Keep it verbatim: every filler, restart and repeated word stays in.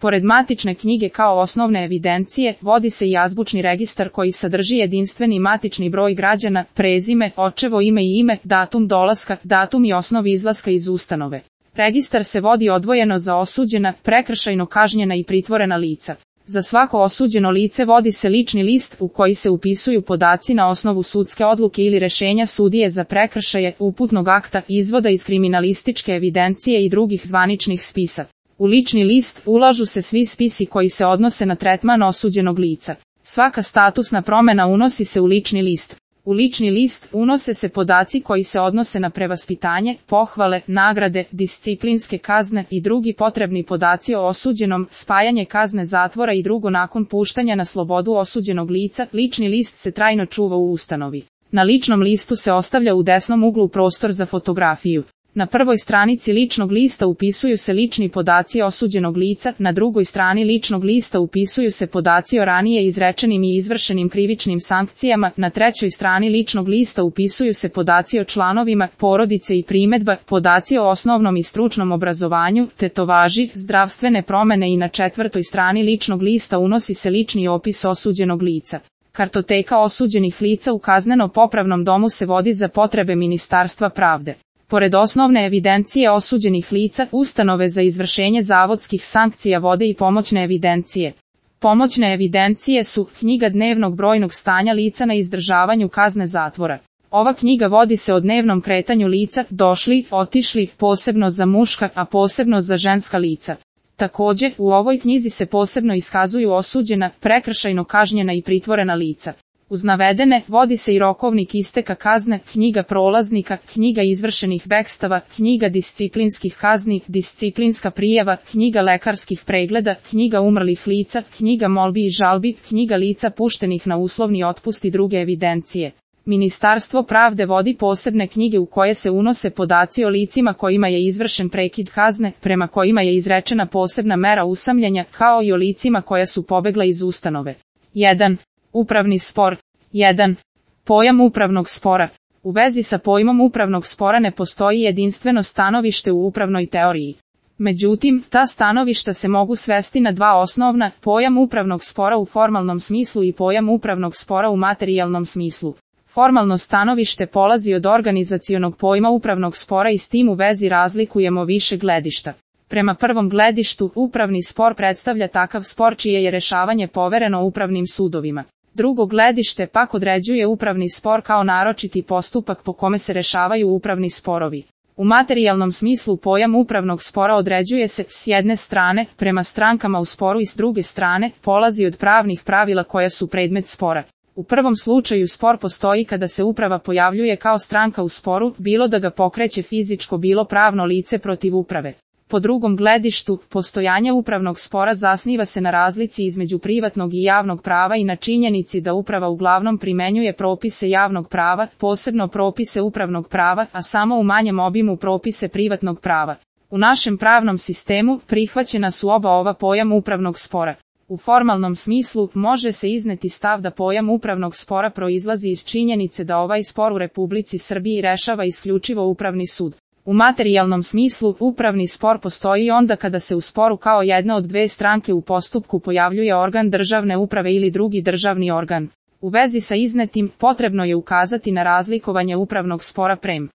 Pored matične knjige kao osnovne evidencije, vodi se i azbučni registar koji sadrži jedinstveni matični broj građana, prezime, očevo ime i ime, datum dolaska, datum i osnov izlaska iz ustanove. Registar se vodi odvojeno za osuđena, prekršajno kažnjena i pritvorena lica. Za svako osuđeno lice vodi se lični list u koji se upisuju podaci na osnovu sudske odluke ili rešenja sudije za prekršaje, uputnog akta, izvoda iz kriminalističke evidencije i drugih zvaničnih spisa. U lični list ulažu se svi spisi koji se odnose na tretman osuđenog lica. Svaka statusna promena unosi se u lični list. U lični list unose se podaci koji se odnose na prevaspitanje, pohvale, nagrade, disciplinske kazne i drugi potrebni podaci o osuđenom, spajanje kazne zatvora i drugo nakon puštanja na slobodu osuđenog lica. Lični list se trajno čuva u ustanovi. Na ličnom listu se ostavlja u desnom uglu prostor za fotografiju. Na prvoj stranici ličnog lista upisuju se lični podaci osuđenog lica, na drugoj strani ličnog lista upisuju se podaci o ranije izrečenim i izvršenim krivičnim sankcijama, na trećoj strani ličnog lista upisuju se podaci o članovima porodice i primedba, podaci o osnovnom i stručnom obrazovanju, tetovaži, zdravstvene promene i na četvrtoj strani ličnog lista unosi se lični opis osuđenog lica. Kartoteka osuđenih lica u kazneno-popravnom domu se vodi za potrebe Ministarstva pravde. Pored osnovne evidencije osuđenih lica, ustanove za izvršenje zavodskih sankcija vode i pomoćne evidencije. Pomoćne evidencije su knjiga dnevnog brojnog stanja lica na izdržavanju kazne zatvora. Ova knjiga vodi se o dnevnom kretanju lica, došli, otišli, posebno za muška, a posebno za ženska lica. Takođe, u ovoj knjizi se posebno iskazuju osuđena, prekršajno kažnjena i pritvorena lica. Uz navedene, vodi se i rokovnik isteka kazne, knjiga prolaznika, knjiga izvršenih bekstava, knjiga disciplinskih kazni, disciplinska prijava, knjiga lekarskih pregleda, knjiga umrlih lica, knjiga molbi i žalbi, knjiga lica puštenih na uslovni otpust i druge evidencije. Ministarstvo pravde vodi posebne knjige u koje se unose podaci o licima kojima je izvršen prekid kazne, prema kojima je izrečena posebna mera usamljenja, kao i o licima koja su pobegla iz ustanove. jedan. Upravni spor. jedan. Pojam upravnog spora. U vezi sa pojmom upravnog spora ne postoji jedinstveno stanovište u upravnoj teoriji. Međutim, ta stanovišta se mogu svesti na dva osnovna, pojam upravnog spora u formalnom smislu i pojam upravnog spora u materijalnom smislu. Formalno stanovište polazi od organizacionog pojma upravnog spora i s tim u vezi razlikujemo više gledišta. Prema prvom gledištu, upravni spor predstavlja takav spor čije je rešavanje povereno upravnim sudovima. Drugo gledište pak određuje upravni spor kao naročiti postupak po kome se rešavaju upravni sporovi. U materijalnom smislu pojam upravnog spora određuje se, s jedne strane, prema strankama u sporu i s druge strane, polazi od pravnih pravila koja su predmet spora. U prvom slučaju spor postoji kada se uprava pojavljuje kao stranka u sporu, bilo da ga pokreće fizičko bilo pravno lice protiv uprave. Po drugom gledištu, postojanje upravnog spora zasniva se na razlici između privatnog i javnog prava i na činjenici da uprava uglavnom primenjuje propise javnog prava, posebno propise upravnog prava, a samo u manjem obimu propise privatnog prava. U našem pravnom sistemu prihvaćena su oba ova pojam upravnog spora. U formalnom smislu može se izneti stav da pojam upravnog spora proizlazi iz činjenice da ovaj spor u Republici Srbiji rešava isključivo upravni sud. U materijalnom smislu, upravni spor postoji onda kada se u sporu kao jedna od dve stranke u postupku pojavljuje organ državne uprave ili drugi državni organ. U vezi sa iznetim, potrebno je ukazati na razlikovanje upravnog spora prem.